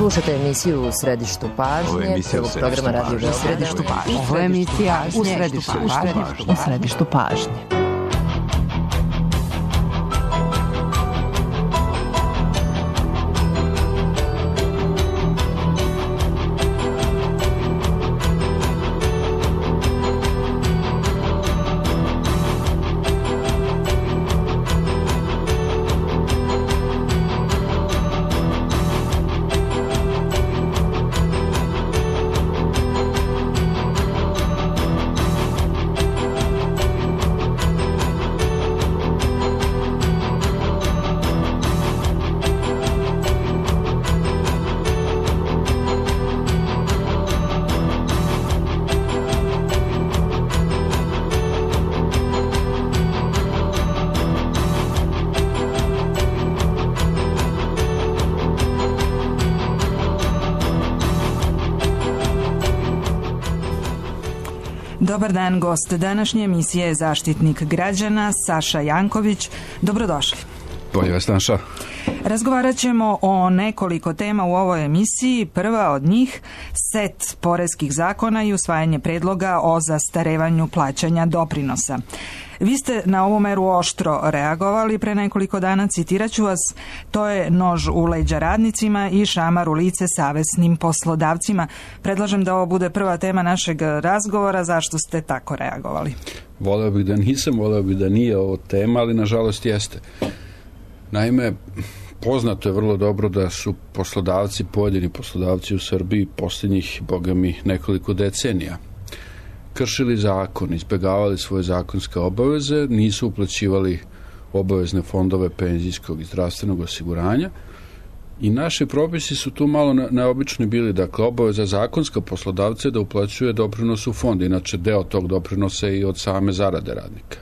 Slušate emisiju U središtu pažnje, prvog programa Radio Beograd. U središtu pažnje. Ovo je emisija U središtu pažnje. Dobar dan, gost današnje emisije je zaštitnik građana Saša Janković. Dobrodošli. Bolje vas našao. Razgovarat ćemo o nekoliko tema u ovoj emisiji. Prva od njih, set poreskih zakona i usvajanje predloga o zastarevanju plaćanja doprinosa. Vi ste na ovu meru oštro reagovali pre nekoliko dana, citirat ću vas, to je nož u leđa radnicima i šamar u lice savesnim poslodavcima. Predlažem da ovo bude prva tema našeg razgovora. Zašto ste tako reagovali? Voleo bih da nisam, voleo bih da nije ovo tema, ali nažalost jeste. Naime, poznato je vrlo dobro da su poslodavci, pojedini poslodavci u Srbiji posljednjih, boga mi, nekoliko decenija kršili zakon, izbjegavali svoje zakonske obaveze, nisu uplaćivali obavezne fondove penzijskog i zdravstvenog osiguranja i naši propisi su tu malo neobični bili. Dakle, obaveza zakonska poslodavca je da uplaćuje doprinos u fond, inače deo tog doprinosa je i od same zarade radnika.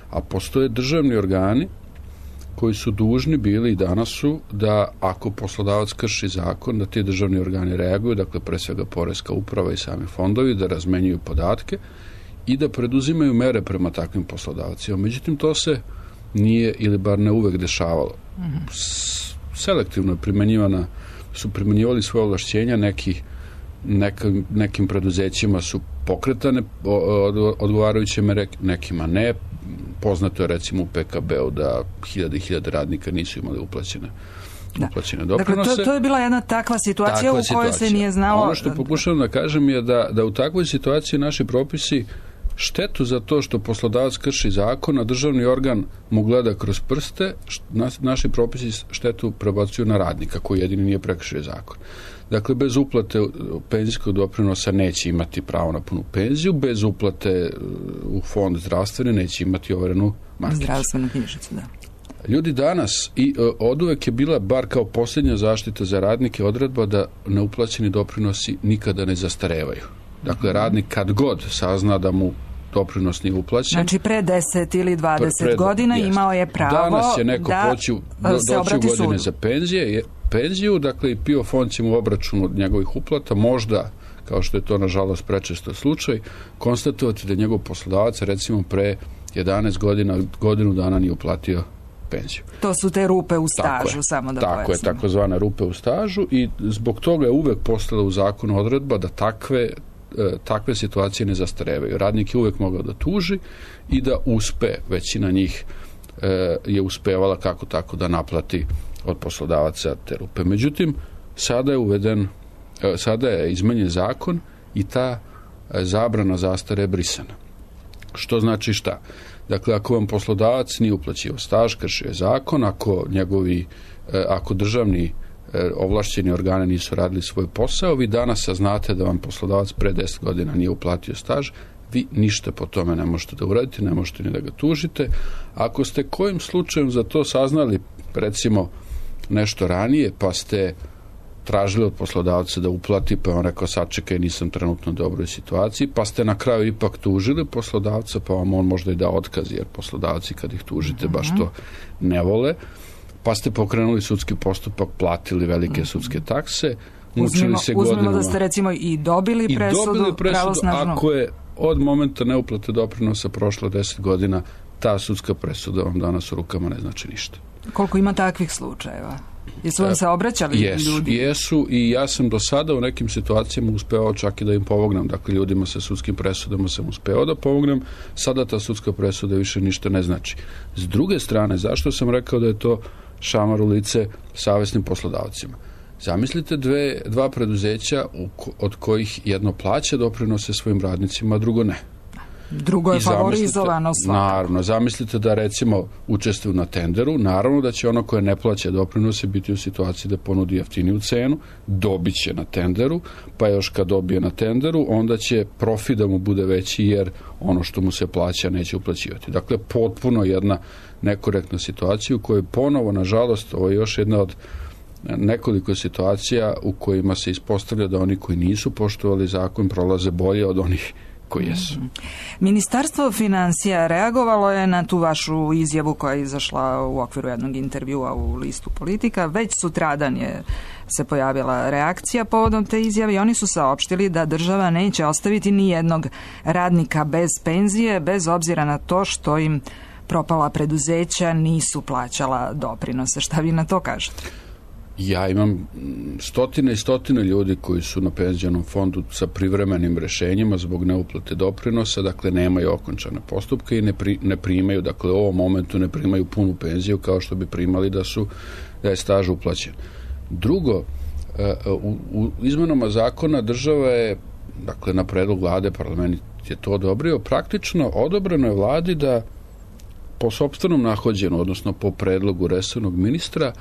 A postoje državni organi koji su dužni bili i danas su da ako poslodavac krši zakon, da ti državni organi reaguju, dakle pre svega poreska uprava i sami fondovi, da razmenjuju podatke i da preduzimaju mere prema takvim poslodavcima. Međutim, to se nije ili bar ne uvek dešavalo. Selektivno je primjenjivali svoje ovlašćenja, nekim preduzećima su pokretane odgovarajuće mere, nekima ne. Poznato je recimo u PKB-u da hiljade radnika nisu imali uplaćene doprinose. Dakle, to je bila jedna takva situacija u kojoj se nije znalo. Ono što pokušavam da kažem je da u takvoj situaciji naši propisi štetu za to što poslodavac krši zakon, a državni organ mu gleda kroz prste, naši propisi štetu prebacuju na radnika koji jedini nije prekršio zakon. Dakle, bez uplate penzijskog doprinosa neće imati pravo na punu penziju, bez uplate u fond zdravstvene neće imati overenu markicu. Zdravstvenu knjižicu, da. Ljudi danas, i oduvek je bila, bar kao posljednja zaštita za radnike, odredba da neuplaćeni doprinosi nikada ne zastarevaju. Dakle, radnik kad god sazna da mu doprinos nije uplaćen. Znači, pre 10 ili 20 godina imao je pravo danas je neko doći u godine za penziju, dakle i PIO fond će mu obračun od njegovih uplata, možda, kao što je to nažalost prečesto slučaj, konstatovati da njegov poslodavac recimo pre 11 godina, godinu dana nije uplatio penziju. To su te rupe u stažu, samo da pojasnimo. Tako je, takozvane rupe u stažu i zbog toga je uvek postala u zakonu odredba da takve situacije ne zastarevaju. Radnik je uvek mogao da tuži i da uspe, većina njih je uspevala kako tako da naplati od poslodavaca te rupe. Međutim, sada je izmenjen zakon i ta zabrana zastare je brisana. Što znači šta? Dakle, ako vam poslodavac nije uplaćivao staž, kršio je zakon, ako državni ovlašćeni organi nisu radili svoj posao, vi danas saznate da vam poslodavac pre 10 godina nije uplatio staž, vi ništa po tome ne možete da uradite, ne možete ni da ga tužite. Ako ste kojim slučajem za to saznali, recimo, nešto ranije, pa ste tražili od poslodavca da uplati, pa on rekao sačekaj, nisam trenutno u dobroj situaciji, pa ste na kraju ipak tužili poslodavca, pa vam on možda i da otkaz, jer poslodavci kad ih tužite baš to ne pa ste pokrenuli sudski postupak, platili velike sudske takse, uzmimo da ste recimo i dobili presudu pravosnažno. Ako je od momenta neuplate doprinosa prošlo 10 godina, ta sudska presuda vam danas u rukama ne znači ništa. Koliko ima takvih slučajeva? Jesu vam se obraćali ljudi? Jesu i ja sam do sada u nekim situacijama uspeo čak i da im pomognem. Dakle, ljudima sa sudskim presudama sam uspeo da pomognem. Sada ta sudska presuda više ništa ne znači. S druge strane, zašto sam rekao da je to šamar u lice savesnim poslodavcima? Zamislite dva preduzeća od kojih jedno plaća doprinose svojim radnicima, a drugo ne. Drugo je favorizovano svakako. Naravno, zamislite da recimo učestvuju na tenderu, naravno da će ono koje ne plaća doprinose biti u situaciji da ponudi jeftiniju cenu, dobit će na tenderu, pa još kad dobije na tenderu, onda će profit da mu bude veći jer ono što mu se plaća neće uplaćivati. Dakle, potpuno jedna nekorektna situacija u kojoj ponovo, nažalost, ovo je još jedna od nekoliko situacija u kojima se ispostavlja da oni koji nisu poštovali zakon prolaze bolje od onih koji jesu. Ministarstvo financija reagovalo je na tu vašu izjavu koja je izašla u okviru jednog intervjua u listu Politika. Već sutradan se pojavila reakcija povodom te izjave i oni su saopštili da država neće ostaviti ni jednog radnika bez penzije, bez obzira na to što im propala preduzeća nisu plaćala doprinose. Šta vi na to kažete? Ja imam stotine i stotine ljudi koji su na penzionom fondu sa privremenim rešenjima zbog neuplate doprinosa, dakle nemaju okončane postupke i ne primaju, dakle u ovom momentu ne primaju punu penziju kao što bi primali da je staž uplaćen. Drugo, u izmenama zakona država je, dakle na predlog vlade, parlament je to odobrio, praktično odobreno je vladi da po sopstvenom nahođenju, odnosno po predlogu resornog ministra,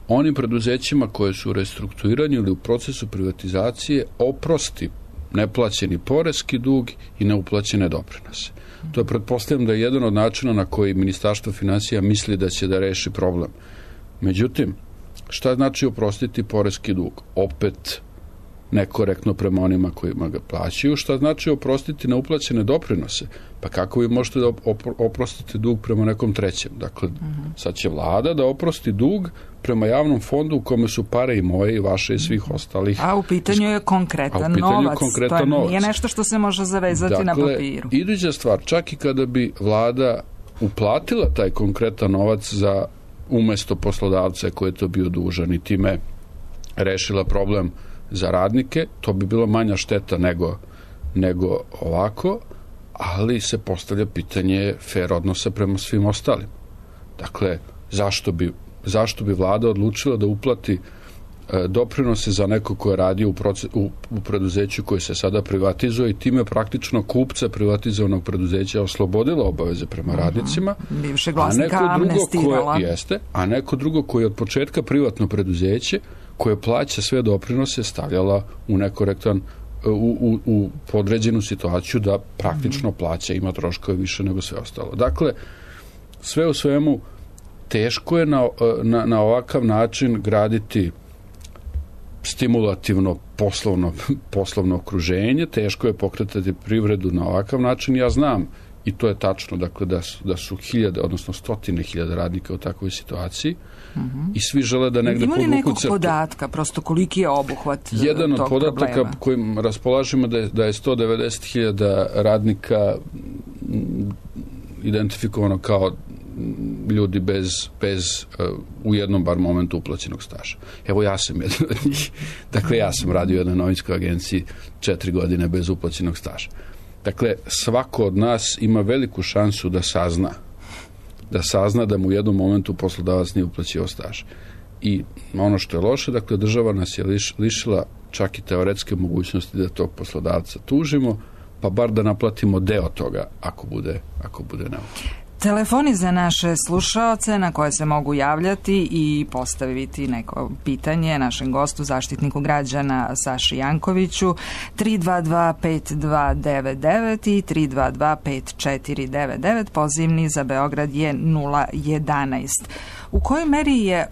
onim preduzećima koje su u restrukturiranju ili u procesu privatizacije oprosti neplaćeni poreski dug i neuplaćene doprinose. To je, pretpostavljam, da je jedan od načina na koji Ministarstvo finansija misli da će da reši problem. Međutim, šta znači oprostiti poreski dug? Opet nekorektno prema onima kojima ga plaćaju. Šta znači oprostiti neuplaćene doprinose? Pa kako vi možete da oprostite dug prema nekom trećem? Dakle, sad će vlada da oprosti dug prema javnom fondu u kome su pare i moje i vaše i svih ostalih. A u pitanju je konkretan novac. To nije nešto što se može zavezati na papiru. Iduća stvar, čak i kada bi vlada uplatila taj konkretan novac za umesto poslodavca koji je to bio dužan i time rešila problem za radnike, to bi bilo manja šteta nego ovako, ali se postavlja pitanje fair odnosa prema svim ostalim. Dakle, zašto bi vlada odlučila da uplati doprinose za neko ko je radio u preduzeću koje se sada privatizuje i time praktično kupca privatizovanog preduzeća oslobodila obaveze prema radnicima, bivšeg vlasnika amnestirala. A neko drugo koje je od početka privatno preduzeće koje plaća sve doprinose stavljala u nekorektan u podređenu situaciju da praktično plaća, ima troškove više nego sve ostalo. Dakle, sve u svemu teško je na ovakav način graditi stimulativno poslovno okruženje, teško je pokretati privredu na ovakav način. Ja znam, i to je tačno, dakle, da su hiljade, odnosno stotine hiljada radnika u takvoj situaciji i svi žele da negde podvuku crtu. Ima li nekog podatka, prosto koliki je obuhvat tog problema? Jedan od podataka kojim raspolažemo da je 190.000 radnika identifikovano kao ljudi bez u jednom bar momentu uplaćenog staža. Evo, ja sam jedan od njih. Dakle, ja sam radio u jednoj novinskoj agenciji 4 godine bez uplaćenog staža. Dakle, svako od nas ima veliku šansu da sazna da mu u jednom momentu poslodavac nije uplaćivao staž. I ono što je loše, dakle, država nas je lišila čak i teoretske mogućnosti da tog poslodavca tužimo, pa bar da naplatimo deo toga ako bude neophodno. Telefoni za naše slušaoce na koje se mogu javljati i postaviti neko pitanje našem gostu, zaštitniku građana Saši Jankoviću, 322-5299 i 322-5499, pozivni za Beograd je 011. U kojoj meri je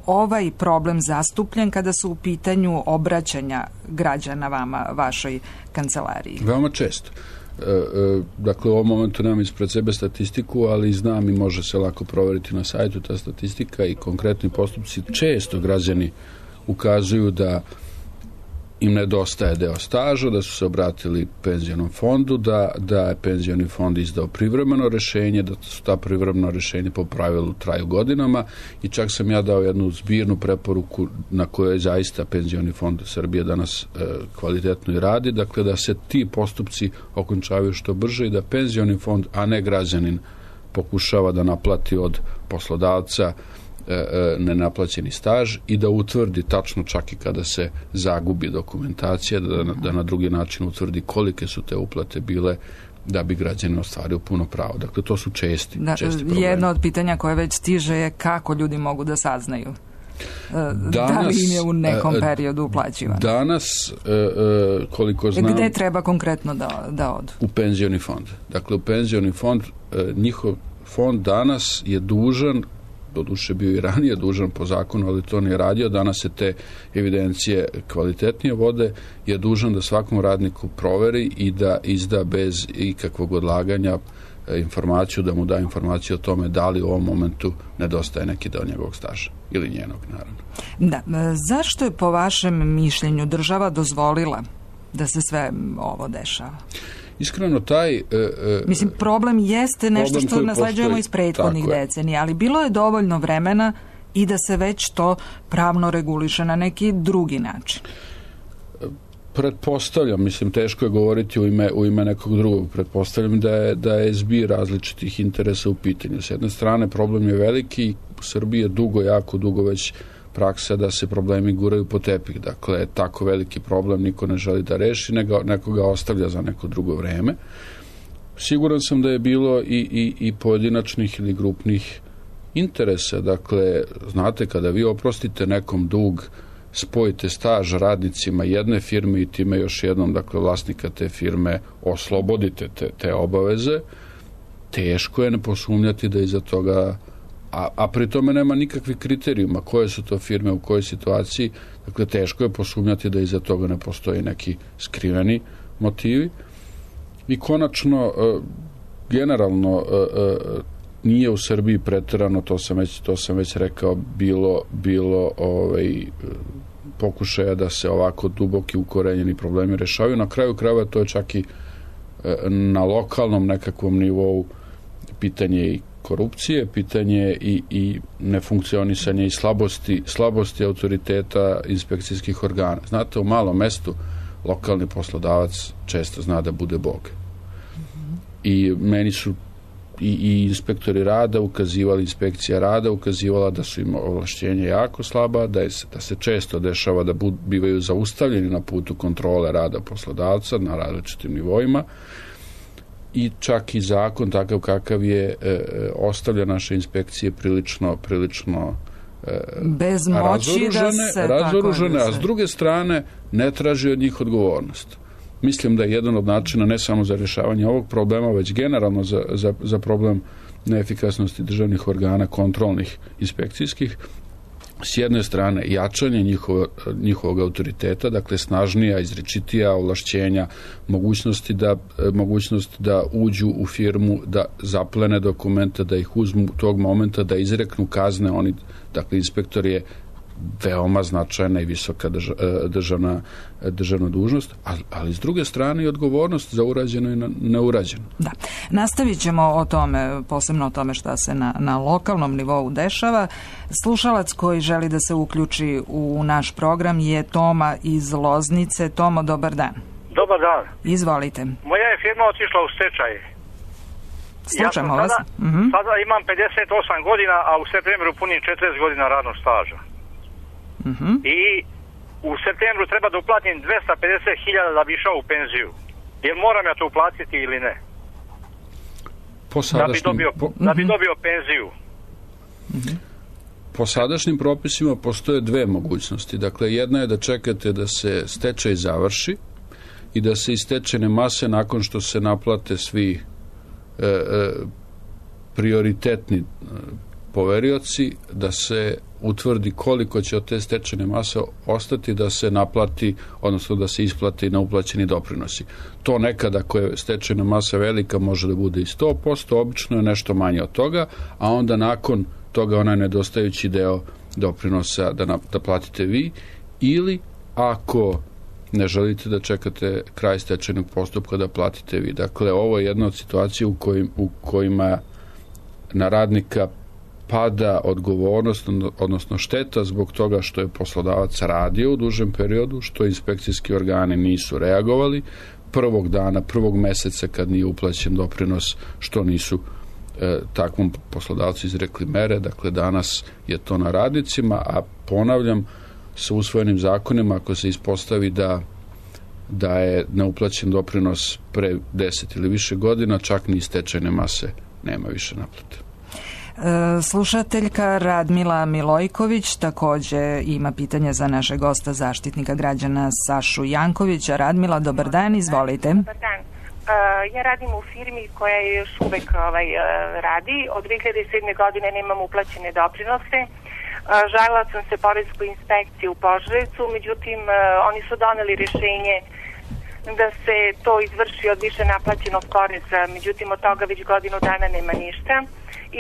ovaj problem zastupljen kada su u pitanju obraćanja građana vama, vašoj kancelariji? Veoma često. Dakle, u ovom momentu nemam ispred sebe statistiku, ali znam i može se lako proveriti na sajtu ta statistika i konkretni postupci. Često građani ukazuju da im nedostaje deo staža, da su se obratili penzionom fondu, da je penzioni fond izdao privremeno rešenje, da su ta privremeno rešenje po pravilu traju godinama i čak sam ja dao jednu zbirnu preporuku na kojoj zaista penzioni fond Srbije danas kvalitetno i radi, dakle da se ti postupci okončavaju što brže i da penzioni fond, a ne građanin, pokušava da naplati od poslodavca nenaplaćeni staž i da utvrdi tačno čak i kada se zagubi dokumentacija, da na drugi način utvrdi kolike su te uplate bile da bi građanin ostvario puno pravo. Dakle, to su česti problemi. Jedno od pitanja koje već stiže je kako ljudi mogu da saznaju da li im je u nekom periodu uplaćivano. Danas, koliko znam... Gde treba konkretno da odu? U penzioni fond. Dakle, u penzioni fond, njihov fond danas je dužan, doduše bio i ranije dužan po zakonu, ali to nije radio, danas se te evidencije kvalitetnije vode, je dužan da svakom radniku proveri i da izda bez ikakvog odlaganja informaciju, da mu da informaciju o tome da li u ovom momentu nedostaje neki deo njegovog staža ili njenog, naravno. Da, zašto je po vašem mišljenju država dozvolila da se sve ovo dešava? Iskreno, taj... Mislim, problem jeste nešto što nasleđujemo iz prethodnih decenija, ali bilo je dovoljno vremena i da se već to pravno reguliše na neki drugi način. Pretpostavljam, mislim, teško je govoriti u ime nekog drugog, pretpostavljam da je zbir različitih interesa u pitanju. S jedne strane, problem je veliki, u Srbiji je dugo, jako dugo već praksa da se problemi guraju po tepih. Dakle, tako veliki problem niko ne želi da reši, neko ga ostavlja za neko drugo vreme. Siguran sam da je bilo i pojedinačnih ili grupnih interesa. Dakle, znate, kada vi oprostite nekom dug, spojite staž radnicima jedne firme i time još jednom, dakle, vlasnika te firme oslobodite te obaveze, teško je ne posumnjati da iza toga, a pri tome nema nikakvih kriterijuma koje su to firme, u kojoj situaciji, dakle, teško je posumnjati da iza toga ne postoji neki skriveni motivi. I konačno, generalno, nije u Srbiji preterano, to sam već rekao, bilo pokušaja da se ovako duboki ukorenjeni problemi rešavaju. Na kraju krajeva to je čak i na lokalnom nekakvom nivou pitanje i korupcije, pitanje i nefunkcionisanje i slabosti autoriteta inspekcijskih organa. Znate, u malom mestu lokalni poslodavac često zna da bude Bog. I meni su i inspektori rada ukazivali, inspekcija rada ukazivala da su im ovlašćenja jako slaba, da se često dešava da bivaju zaustavljeni na putu kontrole rada poslodavca na različitim nivoima i čak i zakon takav kakav je ostavlja naše inspekcije prilično bez moći razoružane, a s druge strane ne traži od njih odgovornost. Mislim da je jedan od načina ne samo za rješavanje ovog problema, već generalno za problem neefikasnosti državnih organa, kontrolnih, inspekcijskih, s jedne strane jačanje njihovog autoriteta, dakle snažnija, izričitija ovlašćenja, mogućnost da uđu u firmu, da zaplene dokumente, da ih uzmu tog momenta, da izreknu kazne. Oni, dakle, inspektor je veoma značajna i visoka državna dužnost, ali s druge strane i odgovornost za urađeno i neurađeno. Da. Nastavit ćemo o tome, posebno o tome šta se na lokalnom nivou dešava. Slušalac koji želi da se uključi u naš program je Toma iz Loznice. Tomo, dobar dan. Dobar dan. Izvolite. Moja je firma otišla u stečaj. Slušamo vas. Sada imam 58 godina, a u septembru punim 40 godina radnog staža. I u septembru treba da uplatim 250.000 da bi išao u penziju. Jer moram ja to uplatiti ili ne? Da bi dobio penziju. Po sadašnjim propisima postoje dve mogućnosti. Dakle, jedna je da čekate da se stečaj završi i da se iz stečajne mase, nakon što se naplate svi prioritetni poverioci, da se utvrdi koliko će od te stečajne mase ostati da se naplati, odnosno da se isplati na uplaćeni doprinosi. To nekada, ako je stečajna masa velika, može da bude i 100%, obično je nešto manje od toga, a onda nakon toga onaj nedostajući deo doprinosa da platite vi, ili ako ne želite da čekate kraj stečajnog postupka da platite vi. Dakle, ovo je jedna od situacija u kojima na radnika pada odgovornost, odnosno šteta zbog toga što je poslodavac radio u dužem periodu, što inspekcijski organi nisu reagovali prvog dana, prvog meseca kad nije uplaćen doprinos, što nisu takvom poslodavcu izrekli mere. Dakle, danas je to na radnicima, a ponavljam, sa usvojenim zakonima, ako se ispostavi da je neuplaćen doprinos pre 10 ili više godina, čak ni stečajne mase nema više naplate. Slušateljka Radmila Milojković također ima pitanje za naše gosta, zaštitnika građana Sašu Jankovića. Radmila, dobar dan, izvolite. Dobar dan. Ja radim u firmi koja je još uvek radi. Od 2007. godine nemam uplaćene doprinose. Žalila sam se poreskoj inspekciji u Požarevcu, međutim oni su doneli rješenje da se to izvrši od više naplaćenog poreza, međutim od toga već godinu dana nema ništa.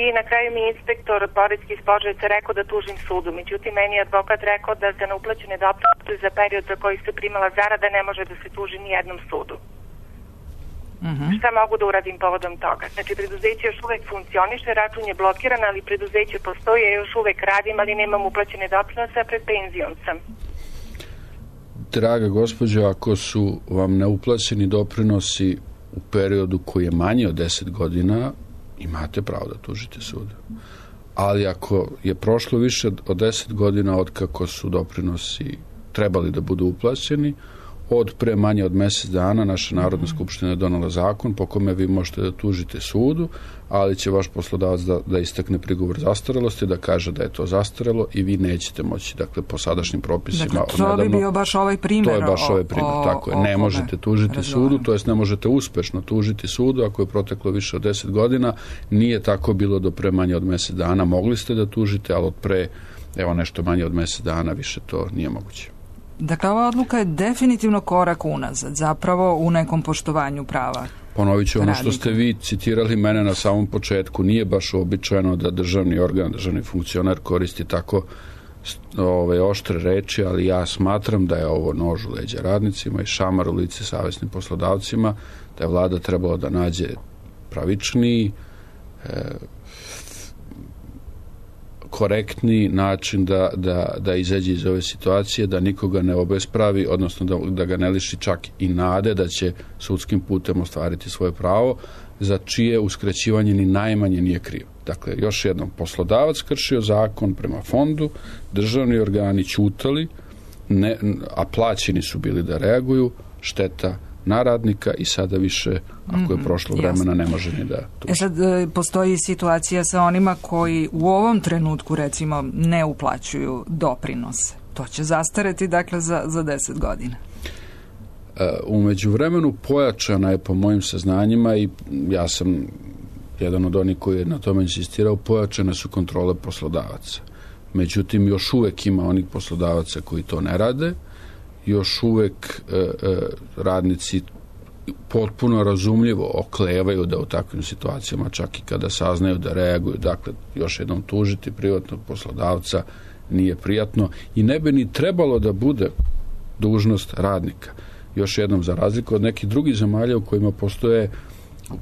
I na kraju mi je inspektor poreski iz Požarevca rekao da tužim sudu, međutim meni je advokat rekao da za neuplaćene doprinose za period za koji se primala zarada ne može da se tuži ni jednom sudu. Šta mogu da uradim povodom toga? Znači, preduzeće još uvek funkcioniše, račun je blokiran, ali preduzeće postoji, ja još uvek radim, ali nemam uplaćene doprinose, a pred penzijom sam. Draga gospođo, ako su vam neuplaćeni doprinosi u periodu koji je manji od 10 godina, imate pravo da tužite sud. Ali ako je prošlo više od 10 godina od kako su doprinosi trebali da budu uplaćeni, od pre manje od mjesec dana naša Narodna skupština je donela zakon po kome vi možete da tužite sudu, ali će vaš poslodavac da istakne prigovor zastarelosti, da kaže da je to zastarelo i vi nećete moći, dakle, po sadašnjim propisima. Dakle, to bi bio baš ovaj primjer. To je baš ovaj primjer, tako je. Ne možete tužiti sudu, to jest ne možete uspešno tužiti sudu ako je proteklo više od 10 godina. Nije tako bilo do pre manje od mjesec dana. Mogli ste da tužite, ali od pre, nešto manje od mjesec dana više to nije moguće. Dakle, ova odluka je definitivno korak unazad, zapravo u nekom poštovanju prava. Ponovit ću ono što ste vi citirali mene na samom početku. Nije baš uobičajeno da državni organ, državni funkcioner koristi tako oštre reči, ali ja smatram da je ovo nož u leđa radnicima i šamar u lice savesnim poslodavcima, da je vlada trebala da nađe pravičniji, korektni način da izađe iz ove situacije, da nikoga ne obespravi, odnosno da ga ne liši čak i nade da će sudskim putem ostvariti svoje pravo, za čije uskraćivanje ni najmanje nije kriv. Dakle, još jednom, poslodavac kršio zakon prema fondu, državni organi ćutali, a plaćeni su bili da reaguju, šteta na radnika i sada više, ako je prošlo vremena, ne može ni da tuži. Sad postoji situacija sa onima koji u ovom trenutku, recimo, ne uplaćuju doprinose. To će zastareti, dakle, za 10 godina. U međuvremenu pojačana je, po mojim saznanjima, i ja sam jedan od onih koji je na tome insistirao, pojačane su kontrole poslodavaca. Međutim, još uvek ima onih poslodavaca koji to ne rade, još uvek radnici potpuno razumljivo oklevaju da u takvim situacijama, čak i kada saznaju, da reaguju. Dakle, još jednom, tužiti privatnog poslodavca nije prijatno i ne bi ni trebalo da bude dužnost radnika. Još jednom, za razliku od nekih drugih zemalja u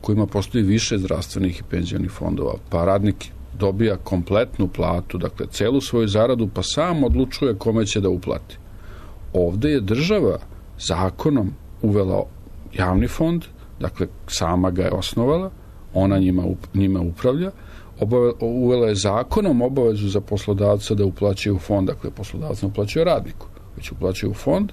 kojima postoji više zdravstvenih i penzionih fondova, pa radnik dobija kompletnu platu, dakle celu svoju zaradu, pa sam odlučuje kome će da uplati. Ovdje je država zakonom uvela javni fond, dakle sama ga je osnovala, ona njima upravlja, uvela je zakonom obavezu za poslodavca da uplaćuje u fond, dakle poslodavac ne uplaćuje radniku, već uplaćuje u fond,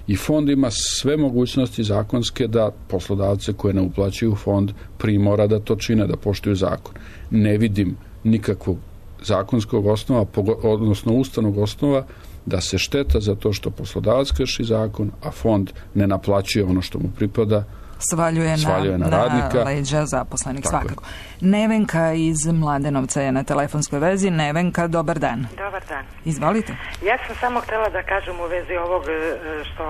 i fond ima sve mogućnosti zakonske da poslodavce koje ne uplaćuju u fond primora da to čine, da poštuju zakon. Ne vidim nikakvog zakonskog osnova, odnosno ustavnog osnova, da se šteta za to što poslodavac krši zakon, a fond ne naplaćuje ono što mu pripada, svaljuje na radnika, leđa zaposlenih. Svakako. Nevenka iz Mladenovca je na telefonskoj vezi. Nevenka, dobar dan. Dobar dan. Izvolite. Ja sam samo htjela da kažem u vezi ovog što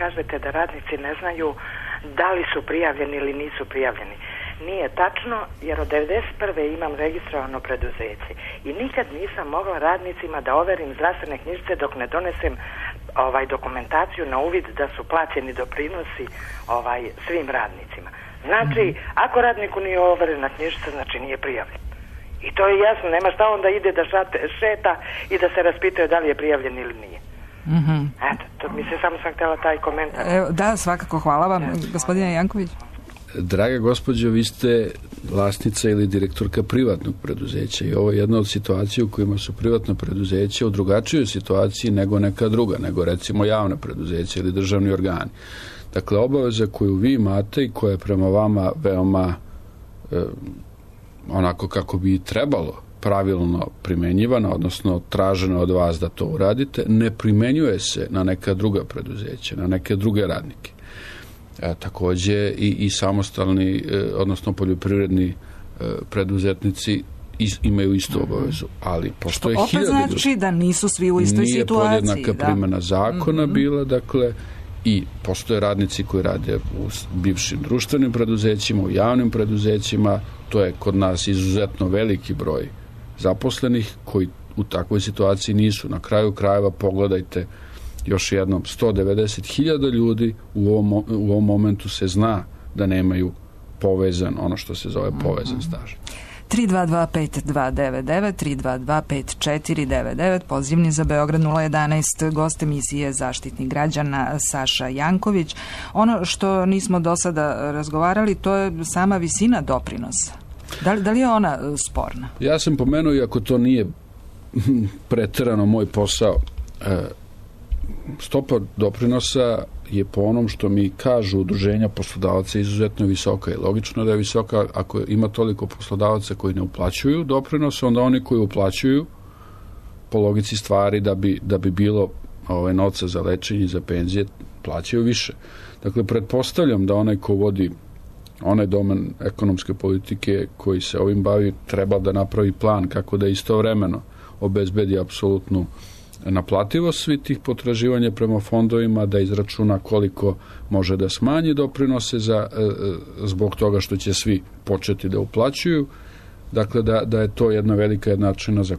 kažete da radnici ne znaju da li su prijavljeni ili nisu prijavljeni. Nije tačno, jer od 1991. imam registrovano preduzeće i nikad nisam mogla radnicima da overim zdravstvene knjižice dok ne donesem dokumentaciju na uvid da su plaćeni doprinosi svim radnicima. Znači, ako radniku nije overena knjižica, znači nije prijavljen. I to je jasno, nema šta onda ide da šeta i da se raspituje da li je prijavljen ili nije. Eto, to samo sam htjela taj komentar. Da, svakako, hvala vam. Gospodine Janković. Draga gospođo, vi ste vlasnica ili direktorka privatnog preduzeća i ovo je jedna od situacija u kojima su privatna preduzeća u drugačijoj situaciji nego neka druga, nego recimo javna preduzeća ili državni organi. Dakle, obaveza koju vi imate i koja je prema vama veoma onako kako bi trebalo pravilno primenjivana, odnosno traženo od vas da to uradite, ne primenjuje se na neka druga preduzeća, na neke druge radnike. Takođe i samostalni, odnosno poljoprivredni preduzetnici imaju istu obavezu, ali postoje opet znači da nisu svi u istoj situaciji. Nije podjednaka primjena zakona bila, dakle, i postoje radnici koji rade u bivšim društvenim preduzećima, u javnim preduzećima, to je kod nas izuzetno veliki broj zaposlenih koji u takvoj situaciji nisu. Na kraju krajeva pogledajte još jednom, 190.000 ljudi u ovom momentu se zna da nemaju povezan, ono što se zove povezan staž. 322-5299, 322-5499, pozivni za Beograd 011, gost emisije Zaštitnik građana Saša Janković. Ono što nismo do sada razgovarali, to je sama visina doprinosa. Da li je ona sporna? Ja sam pomenuo, iako to nije preterano moj posao, stopa doprinosa je po onom što mi kažu udruženja poslodavaca izuzetno visoka i logično da je visoka. Ako ima toliko poslodavaca koji ne uplaćuju doprinose, onda oni koji uplaćuju po logici stvari da bi bilo novca za lečenje i za penzije plaćaju više. Dakle, pretpostavljam da onaj ko vodi onaj domen ekonomske politike koji se ovim bavi treba da napravi plan kako da istovremeno obezbedi apsolutnu naplativost svih tih potraživanja prema fondovima, da izračuna koliko može da smanji doprinose zbog toga što će svi početi da uplaćuju. Dakle, da je to jedna velika jednačina za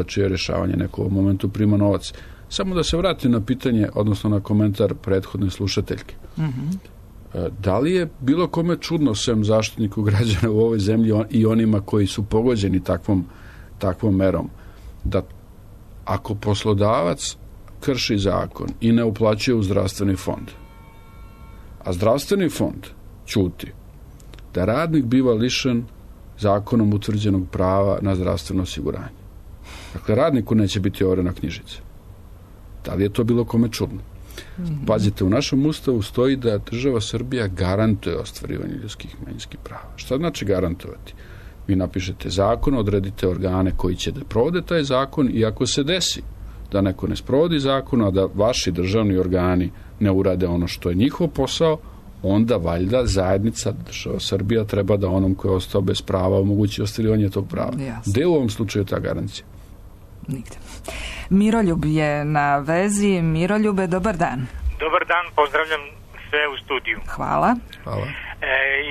čije rješavanje neko u momentu prima novac. Samo da se vratim na pitanje, odnosno na komentar prethodne slušateljke. Da li je bilo kome čudno, sem Zaštitniku građana u ovoj zemlji i onima koji su pogođeni takvom merom, da ako poslodavac krši zakon i ne uplaćuje u zdravstveni fond, a zdravstveni fond ćuti, da radnik biva lišen zakonom utvrđenog prava na zdravstveno osiguranje. Dakle, radniku neće biti overena knjižica. Da li je to bilo kome čudno? Pazite, u našem ustavu stoji da država Srbija garantuje ostvarivanje ljudskih i manjinskih prava. Šta znači garantovati? Vi napišete zakon, odredite organe koji će da provode taj zakon i ako se desi da neko ne sprovodi zakon, a da vaši državni organi ne urade ono što je njihov posao, onda valjda zajednica država Srbija treba da onom koji je ostao bez prava omogući ostvarivanje tog prava. Gde je u ovom slučaju ta garancija? Nigde. Miroljub je na vezi. Miroljube, dobar dan. Dobar dan, pozdravljam sve u studiju. Hvala. Hvala.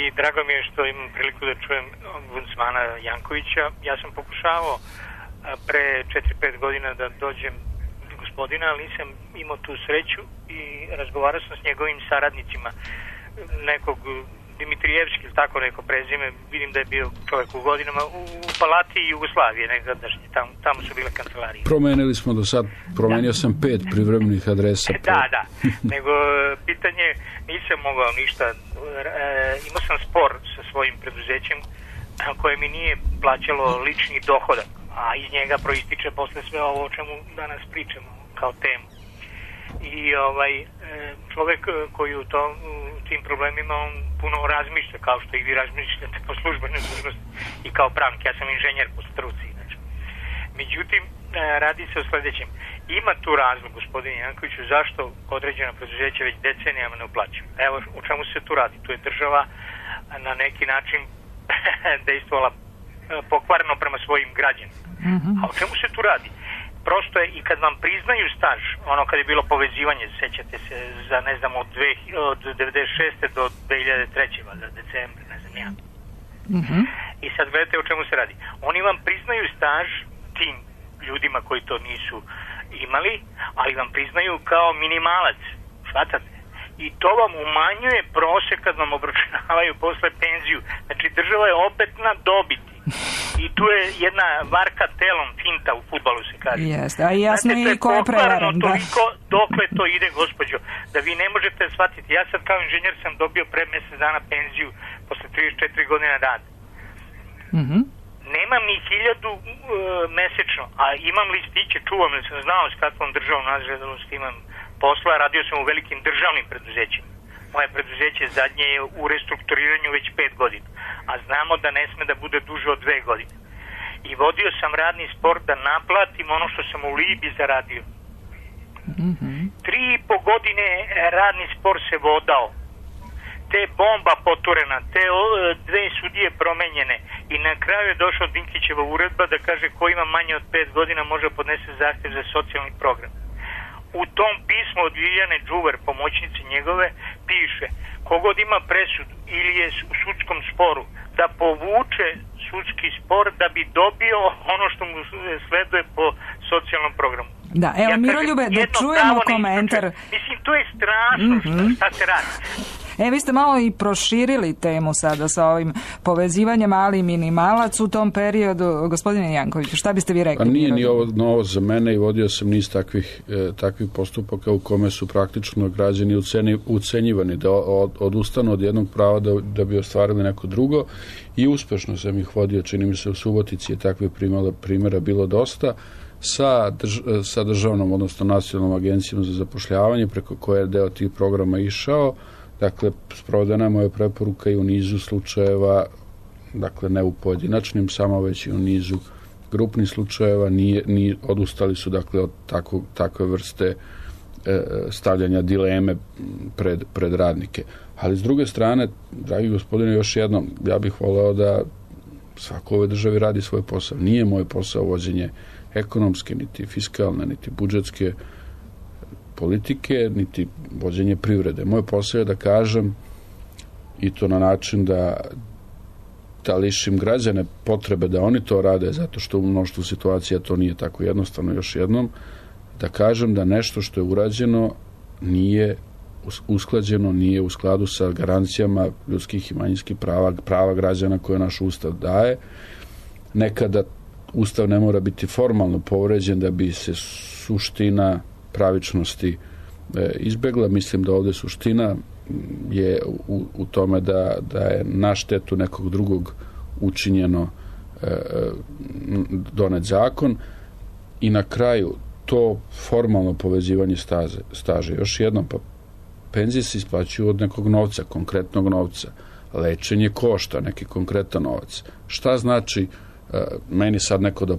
I drago mi je što imam priliku da čujem ombudsmana Jankovića. Ja sam pokušavao pre 4-5 godina da dođem do gospodina, ali nisam imao tu sreću i razgovarao sam s njegovim saradnicima, nekog Dimitrijevski ili tako neko prezime, vidim da je bio čovjek u godinama u Palati Jugoslavije, nekadašnje, tamo su bile kancelarije. Promenili smo do sad, promenio sam 5 privremenih adresa. Da, nego pitanje, nisam mogao ništa, imao sam spor sa svojim preduzećem koje mi nije plaćalo lični dohodak, a iz njega proističe posle sve ovo o čemu danas pričamo kao temu. I čovjek koji u tim problemima on puno razmišlja, kao što i vi razmišljate po službenoj dužnosti i kao pravnik. Ja sam inženjer po struci. Znači. Međutim, radi se o sljedećem. Ima tu razlog, gospodine Jankoviću, zašto određena preduzeća već decenijama ne uplaćuju. Evo o čemu se tu radi. Tu je država na neki način dejstvovala pokvarno prema svojim građanima. A o čemu se tu radi? Prosto je i kad vam priznaju staž, ono kad je bilo povezivanje, sećate se, za ne znam od 96. do 2003. valjda decembra, ne znam ja. I sad gledajte o čemu se radi. Oni vam priznaju staž tim ljudima koji to nisu imali, ali vam priznaju kao minimalac. Shvatate? I to vam umanjuje prosek kad vam obračunavaju posle penziju. Znači država je opet na dobiti. I tu je jedna varka telom finta u fudbalu se kaže. Jeste, a jasno je i ko je prevaren. Toliko dokle to ide, gospođo, da vi ne možete shvatiti. Ja sad kao inženjer sam dobio pre mjesec dana penziju posle 34 godine rada. Nemam ni 1000 mesečno, a imam listiće, čuvam, jer sam znao s kakvom državnom nadležnosti imam posla, radio sam u velikim državnim preduzećima. Moje preduzeće zadnje je u restrukturiranju već 5 godina, a znamo da ne sme da bude duže od 2 godine. I vodio sam radni spor da naplatim ono što sam u Libiji zaradio. 3,5 godine radni spor se vodao. Te bomba poturena, te 2 sudije promenjene i na kraju je došla Dinkićeva uredba da kaže ko ima manje od 5 godina može podnese zahtjev za socijalni program. U tom pismu od Viljane Đuver, pomoćnice njegove, piše kogod ima presudu ili je u sudskom sporu da povuče sudski spor da bi dobio ono što mu sleduje po socijalnom programu. Da, evo Miroljube, da čujemo komentar. Mislim, to je strašno šta se radi. Vi ste malo i proširili temu sada sa ovim povezivanjem mali i minimalac u tom periodu. Gospodine Jankoviću, šta biste vi rekli? Pa nije ni ovo novo za mene i vodio sam niz takvih postupaka u kome su praktično građani ucenjivani da odustanu od jednog prava da bi ostvarili neko drugo i uspešno sam ih vodio, čini mi se u Subotici je takvih primjera bilo dosta sa državnom, odnosno nacionalnom agencijom za zapošljavanje preko koje je deo tih programa išao. Dakle, sprovedena je moja preporuka i u nizu slučajeva, dakle ne u pojedinačnim, samo već i u nizu grupnih slučajeva, odustali su dakle od takve vrste stavljanja dileme pred radnike. Ali s druge strane, dragi gospodine, još jednom, ja bih voleo da svako u ovoj državi radi svoj posao. Nije moj posao vođenje ekonomske, niti fiskalne, niti budžetske politike, niti vođenje privrede. Moj posao je da kažem i to na način da lišim građane potrebe da oni to rade, zato što u mnoštvu situacija to nije tako jednostavno. Još jednom, da kažem da nešto što je urađeno nije usklađeno, nije u skladu sa garancijama ljudskih i manjinskih prava građana koje naš Ustav daje. Nekada Ustav ne mora biti formalno povređen da bi se suština pravičnosti izbegla. Mislim da ovdje suština je u tome da je na štetu nekog drugog učinjeno donet zakon i na kraju to formalno povezivanje staža. Još jednom, pa penzije se isplaćuju od nekog novca, konkretnog novca. Lečenje košta neki konkretan novac. Šta znači meni sad neko da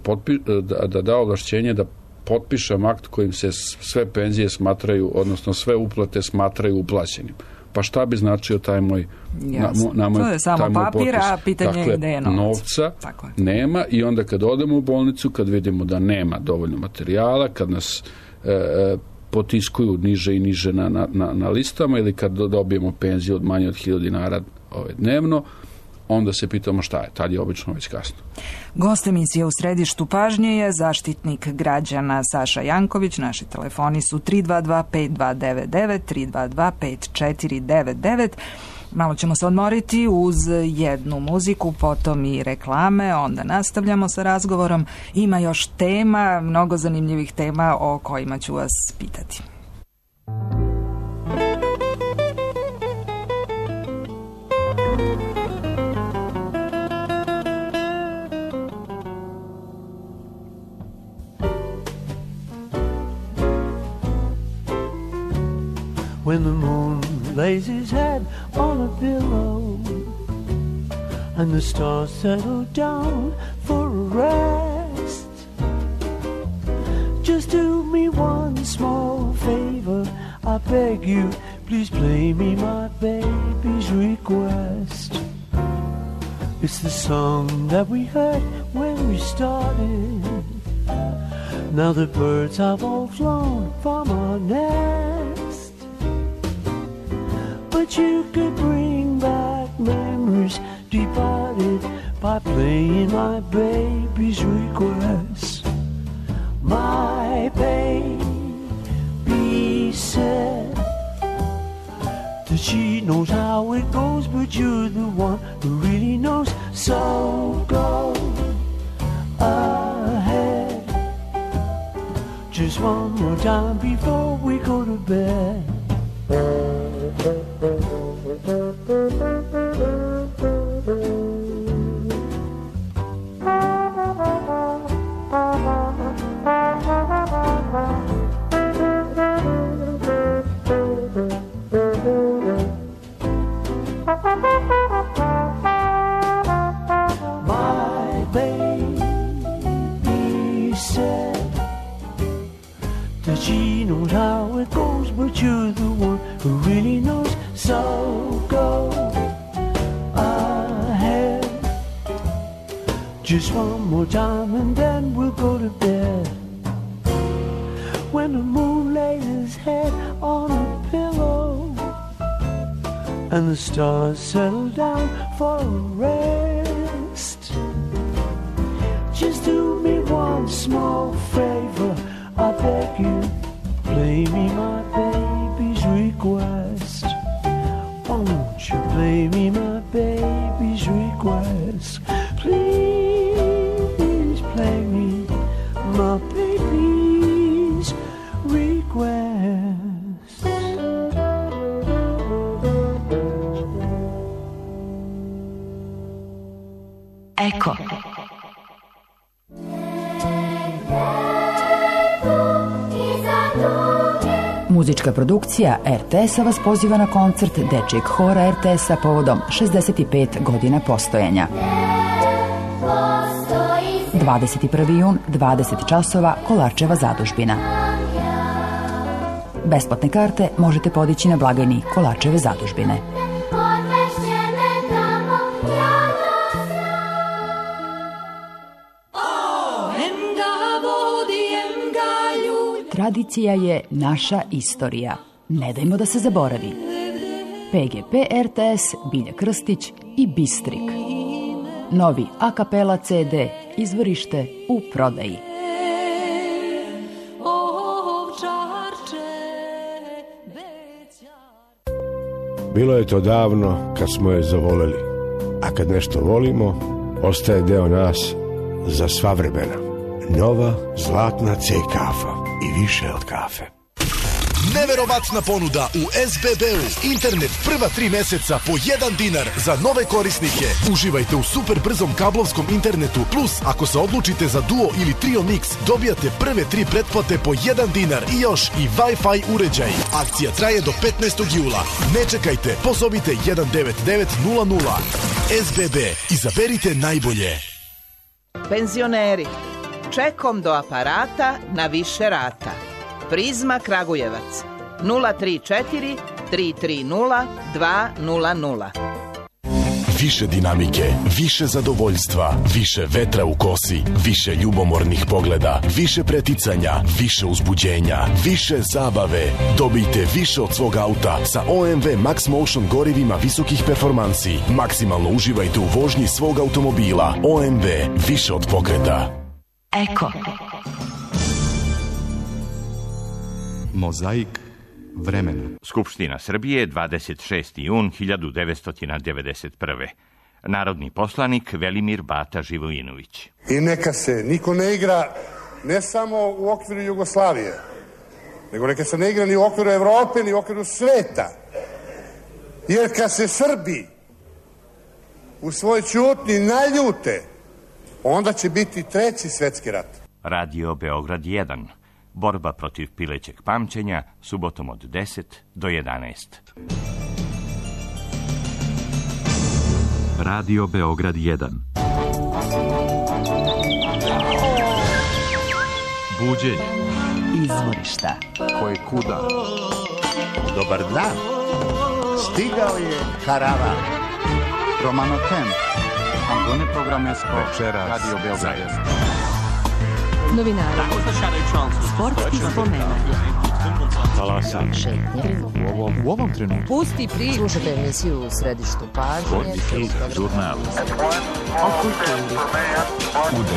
da ovlašćenje da potpišem akt kojim se sve penzije smatraju, odnosno sve uplate smatraju uplaćenim. Pa šta bi značio taj moj to je samo papir, a pitanje je gde je novac. Novca nema i onda kad odemo u bolnicu, kad vidimo da nema dovoljno materijala, kad nas potiskuju niže i niže na listama ili kad dobijemo penziju od manje od 1000 dinara dnevno, onda se pitamo šta je. Tad je obično već kasno. Gost emisije u središtu pažnje je zaštitnik građana Saša Janković. Naši telefoni su 322-5299, 322-5499. Malo ćemo se odmoriti uz jednu muziku, potom i reklame, onda nastavljamo sa razgovorom. Ima još tema, mnogo zanimljivih tema o kojima ću vas pitati. When the moon lays his head on a pillow and the stars settle down for a rest, just do me one small favor, I beg you, please play me my baby's request. It's the song that we heard when we started. Now the birds have all flown from our nest, but you could bring back memories departed by playing my baby's request. My baby she knows how it goes, but you're the one who really knows. So go ahead, just one more time before we go to bed. My baby said that she knows how it goes, but you're the one who really knows. So go ahead, just one more time and then we'll go to bed. When the moon lays his head on a pillow and the stars settle down for a rest, just do me one small favor, I beg you, play me my baby's request. Won't you play me my baby's request? Please play me my baby's request. Eko. Muzička produkcija RTS-a vas poziva na koncert Dečijeg hora RTS-a povodom 65 godina postojanja. 21. jun, 20 časova, Kolarčeva zadužbina. Besplatne karte možete podići na blagajni Kolarčeve zadužbine. Tradicija je naša istorija. Ne dajmo da se zaboravi. PGP RTS, Bilja Krstić i Bistrik. Novi a kapela CD, izvorište u prodaji. Bilo je to davno kad smo je zavoleli, a kad nešto volimo, ostaje deo nas za sva vremena. Nova zlatna C kafa i više od kafe. Neverovatna ponuda u SBB-u. Internet prva 3 meseca po 1 dinar za nove korisnike. Uživajte u super brzom kablovskom internetu. Plus, ako se odlučite za Duo ili Trio Mix, dobijate prve 3 pretplate po 1 dinar i još i Wi-Fi uređaj. Akcija traje do 15. jula. Ne čekajte, pozovite 19900. SBB. Izaberite najbolje. Penzioneri, čekom do aparata na više rata. Prizma Kragujevac 034 330 200. Više dinamike, više zadovoljstva, više vetra u kosi, više ljubomornih pogleda, više preticanja, više uzbuđenja, više zabave. Dobijte više od svog auta sa OMV Max Motion gorivima visokih performansi. Maksimalno uživajte u vožnji svog automobila. OMV, više od pokreta. Eko. Mozaik vremena. Skupština Srbije, 26. jun 1991. Narodni poslanik Velimir Bata Živojinović. I neka se niko ne igra ne samo u okviru Jugoslavije, nego neka se ne igra ni u okviru Evrope, ni u okviru sveta. Jer kad se Srbi u svoj ćutnji naljute, onda će biti 3. svetski rat. Radio Beograd 1. Borba protiv pilećeg pamćenja, subotom od 10 do 11. Radio Beograd 1. Buđenje. Izvorišta. Koje kuda. Dobar dan. Stigao je karavan. Romano Temp. Antone Programesko. Večeras. Radio Beograd 1. Novinari, sportski spomena, Talasa. Šetnje. U ovom trenutku. Pusti priču. Slušajte emisiju u središtu pažnje. Žurnal. O kulturi. U 10.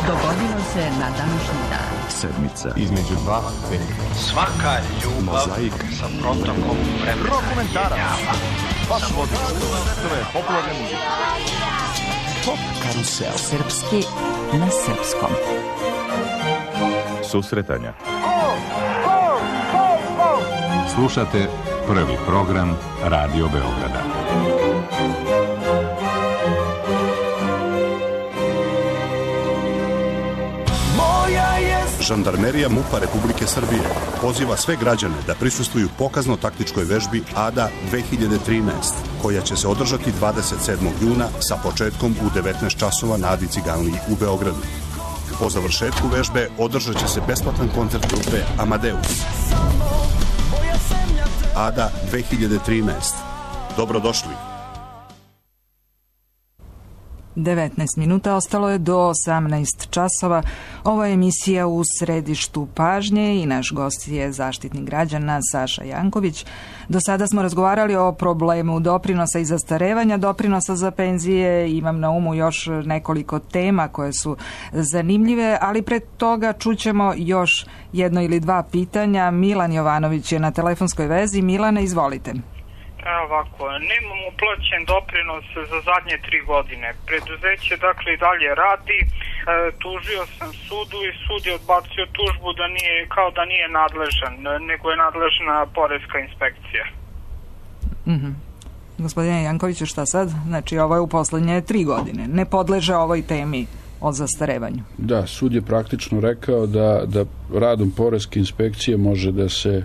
Dogodilo se na današnji dan. Sedmica. Između 2 i 5. Svaka ljubav Mozaik. sa protokom vremena. Dokumentarac. Baš odlično. Sve popularne muzike. Pop karusel. Srpski na srpskom. Susretanja. Slušate prvi program Radio Beograda. Žandarmerija MUP-a Republike Srbije poziva sve građane da prisustvuju pokazno-taktičkoj vežbi ADA 2013, koja će se održati 27. juna sa početkom u 19 časova na Adi Ciganliji u Beogradu. Po završetku vežbe održat će se besplatan koncert grupe Amadeus. ADA 2013. Dobrodošli. 19 minuta, ostalo je do 18 časova. Ovo je emisija u središtu pažnje i naš gost je zaštitnik građana Saša Janković. Do sada smo razgovarali o problemu doprinosa i zastarevanja doprinosa za penzije. Imam na umu još nekoliko tema koje su zanimljive, ali pred toga čućemo još jedno ili dva pitanja. Milan Jovanović je na telefonskoj vezi. Milane, izvolite. Evo ovako, nemam uplaćen doprinos za zadnje 3 godine. Preduzeće dakle i dalje radi, tužio sam sudu i sud je odbacio tužbu da nije, kao da nije nadležan, nego je nadležna poreska inspekcija. Gospodine Jankoviću, šta sad? Znači ovo je u poslednje 3 godine. Ne podleže ovoj temi o zastarevanju. Da, sud je praktično rekao da radom poreske inspekcije može da se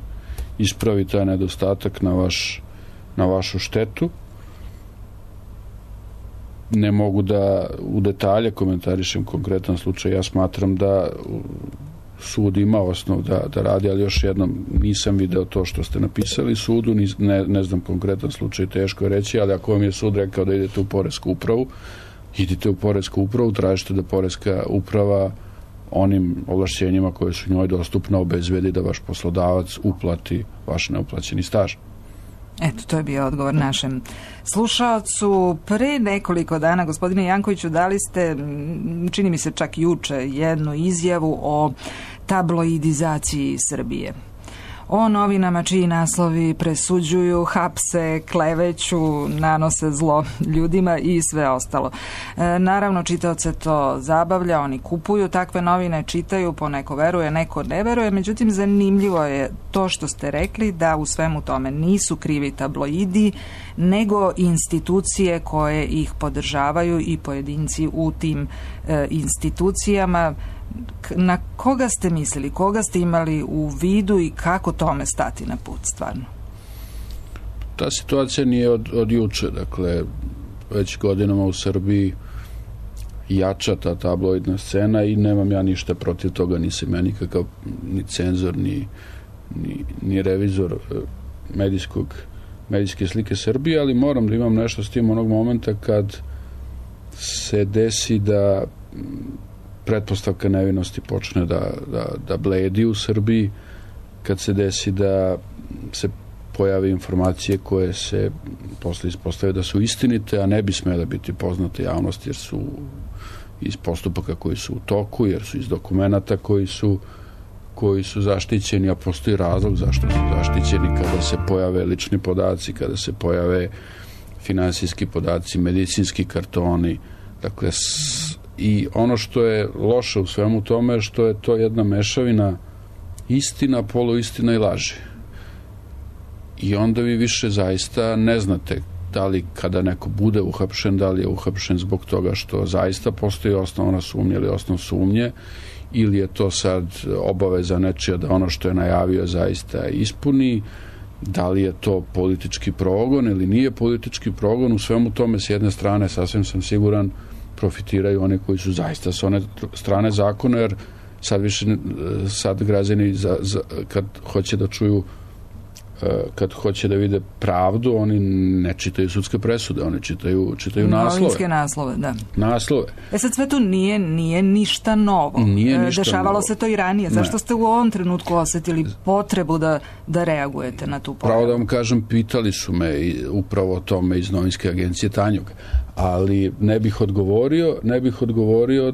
ispravi taj nedostatak na vašu štetu. Ne mogu da u detalje komentarišem konkretan slučaj. Ja smatram da sud ima osnov da radi, ali još jednom nisam video to što ste napisali sudu, ne znam konkretan slučaj, teško je reći, ali ako vam je sud rekao da idete u poresku upravu, idite u poresku upravu, tražite da poreska uprava onim ovlašćenjima koje su njoj dostupne obezbedi da vaš poslodavac uplati vaš neuplaćeni staž. Eto, to je bio odgovor našem slušaocu. Pre nekoliko dana, gospodine Jankoviću, dali ste, čini mi se čak juče, jednu izjavu o tabloidizaciji Srbije. O novinama čiji naslovi presuđuju, hapse, kleveću, nanose zlo ljudima i sve ostalo. Naravno, čitaoce to zabavlja, oni kupuju takve novine, čitaju, poneko veruje, neko ne veruje, međutim zanimljivo je to što ste rekli da u svemu tome nisu krivi tabloidi, nego institucije koje ih podržavaju i pojedinci u tim institucijama. Na koga ste mislili, koga ste imali u vidu i kako tome stati na put stvarno? Ta situacija nije od juče, dakle već godinama u Srbiji jača ta tabloidna scena i nemam ja ništa protiv toga, nisam ja nikakav ni cenzor, ni revizor medijske slike Srbije, ali moram da imam nešto s tim onog momenta kad se desi da pretpostavka nevinosti počne da bledi u Srbiji, kad se desi da se pojave informacije koje se posle ispostave da su istinite, a ne bi smele biti poznate javnosti jer su iz postupaka koji su u toku, jer su iz dokumenata koji su zaštićeni, a postoji razlog zašto su zaštićeni kada se pojave lični podaci, kada se pojave finansijski podaci, medicinski kartoni, dakle i ono što je loše u svemu tome je što je to jedna mešavina istina, poluistina i laži. I onda vi više zaista ne znate da li kada neko bude uhapšen, da li je uhapšen zbog toga što zaista postoji osnovna sumnja ili osnov sumnje, ili je to sad obaveza nečija da ono što je najavio zaista ispuni, da li je to politički progon ili nije politički progon. U svemu tome s jedne strane sasvim sam siguran profitiraju oni koji su zaista s one strane zakona, jer sad građani kad hoće da čuju kad hoće da vide pravdu, oni ne čitaju sudske presude, oni čitaju naslove. Novinske naslove, da. Naslove. Sad sve to nije ništa novo. Dešavalo novo. Se to i ranije. Zašto ste u ovom trenutku osjetili potrebu da reagujete na tu pojavu? Pravo da vam kažem, pitali su me upravo o tome iz novinske agencije Tanjug, ali ne bih odgovorio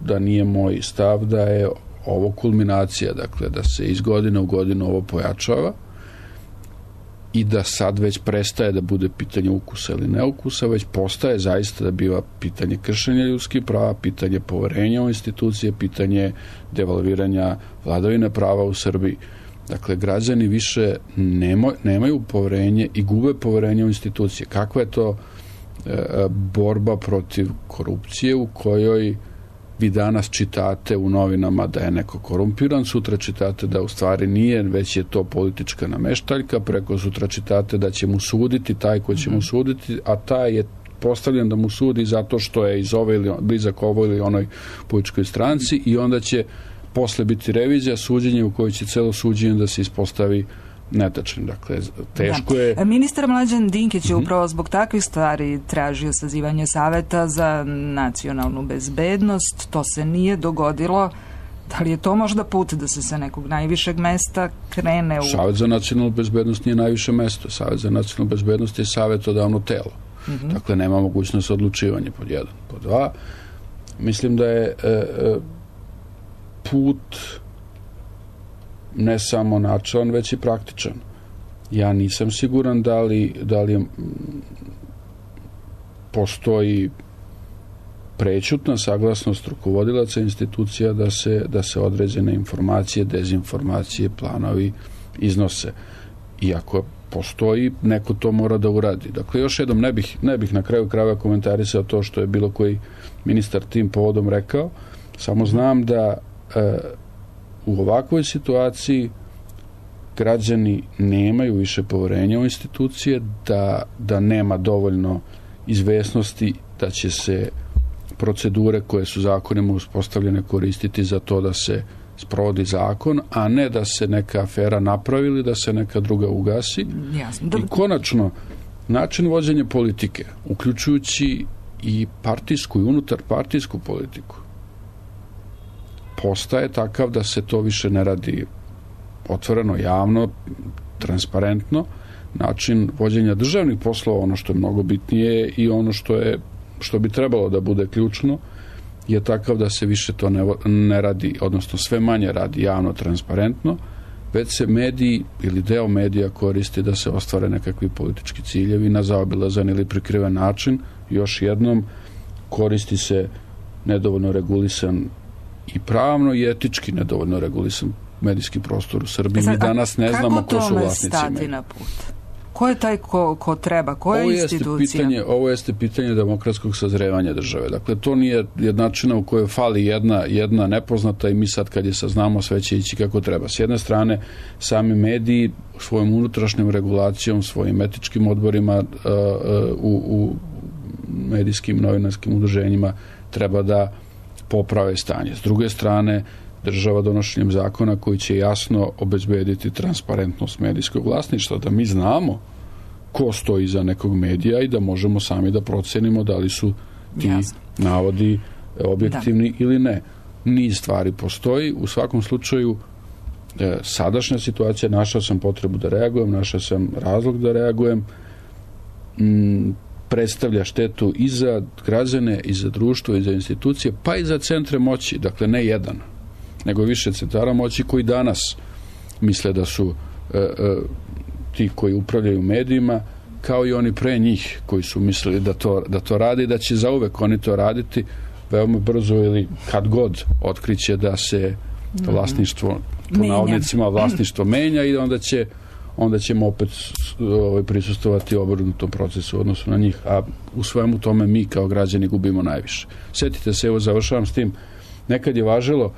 da nije moj stav da je ovo kulminacija, dakle da se iz godine u godinu ovo pojačava i da sad već prestaje da bude pitanje ukusa ili neukusa, već postaje zaista da biva pitanje kršenja ljudskih prava, pitanje poverenja u institucije, pitanje devalviranja vladavine prava u Srbiji. Dakle, građani više nemaju poverenje i gube poverenje u institucije. Kakva je to borba protiv korupcije u kojoj vi danas čitate u novinama da je neko korumpiran, sutra čitate da u stvari nije, već je to politička nameštaljka, preko sutra čitate da će mu suditi taj koji će mu suditi, a taj je postavljen da mu sudi zato što je iz ove ili blizak ovoj ili onoj političkoj stranci i onda će posle biti revizija, suđenje u kojoj će celo suđenje da se ispostavi netačan. Dakle, teško je... Ministar Mlađan Dinkić je upravo zbog takvih stvari tražio sazivanje Saveta za nacionalnu bezbednost. To se nije dogodilo. Da li je to možda put da se sa nekog najvišeg mesta krene u... Savet za nacionalnu bezbednost nije najviše mesto. Savet za nacionalnu bezbednost je savetodavno telo. Dakle, nema mogućnost odlučivanja, pod jedan. Pod dva, mislim da je put ne samo načelan, već i praktičan. Ja nisam siguran da li postoji prećutna saglasnost rukovodilaca institucija da se određene informacije, dezinformacije, planovi iznose. I ako postoji, neko to mora da uradi. Dakle, još jednom, ne bih na kraju krajeva komentarisao to što je bilo koji ministar tim povodom rekao, samo znam da u ovakvoj situaciji građani nemaju više poverenja u institucije, da nema dovoljno izvesnosti da će se procedure koje su zakonima uspostavljene koristiti za to da se sprovodi zakon, a ne da se neka afera napravi ili da se neka druga ugasi. Jasno. I konačno, način vođenja politike, uključujući i partijsku i unutarpartijsku politiku, postaje takav da se to više ne radi otvoreno, javno, transparentno. Način vođenja državnih poslova, ono što je mnogo bitnije i ono što bi trebalo da bude ključno, je takav da se više to ne radi, odnosno sve manje radi javno, transparentno, već se mediji ili deo medija koristi da se ostvare nekakvi politički ciljevi na zaobilazan ili prikriven način. Još jednom, koristi se nedovoljno regulisan i pravno i etički nedovoljno regulisan medijski prostor u Srbiji. Mi danas ne znamo ko su vlasnici. Kako tome stati na put? Ko je taj ko treba? Koja je institucija? Ovo jeste pitanje demokratskog sazrevanja države. Dakle, to nije jednačina u kojoj fali jedna nepoznata i mi sad kad je saznamo sve će ići kako treba. S jedne strane, sami mediji svojom unutrašnjom regulacijom, svojim etičkim odborima u medijskim novinarskim udruženjima treba da poprave stanje. S druge strane, država donošenjem zakona koji će jasno obezbediti transparentnost medijskog vlasništva, da mi znamo ko stoji iza nekog medija i da možemo sami da procenimo da li su ti navodi objektivni ili ne. Niz stvari postoji. U svakom slučaju, sadašnja situacija, našao sam potrebu da reagujem, našao sam razlog da reagujem, predstavlja štetu i za građane, i za društvo, i za institucije, pa i za centre moći, dakle ne jedan, nego više centara moći koji danas misle da su ti koji upravljaju medijima, kao i oni pre njih koji su mislili da to radi i da će zauvek oni to raditi veoma brzo ili kad god otkriće da se vlasništvo, po navodnicima vlasništvo menja i onda ćemo opet prisustovati obrnutom procesu u odnosu na njih, a u svemu tome mi kao građani gubimo najviše. Sjetite se, evo završavam s tim, nekad je važilo,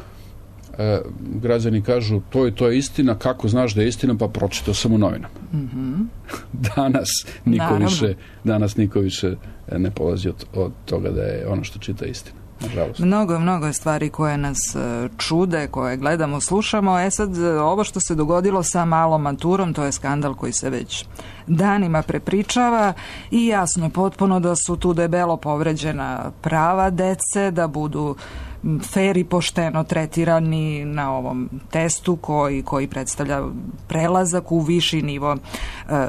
građani kažu to je istina, kako znaš da je istina, pa pročitao sam u novinama. Danas niko više ne polazi od toga da je ono što čita istina. nažalost. Mnogo je stvari koje nas čude, koje gledamo, slušamo. Sad, ovo što se dogodilo sa malom maturom, to je skandal koji se već danima prepričava i jasno je potpuno da su tu debelo povređena prava dece, da budu fer i pošteno tretirani na ovom testu koji predstavlja prelazak u viši nivo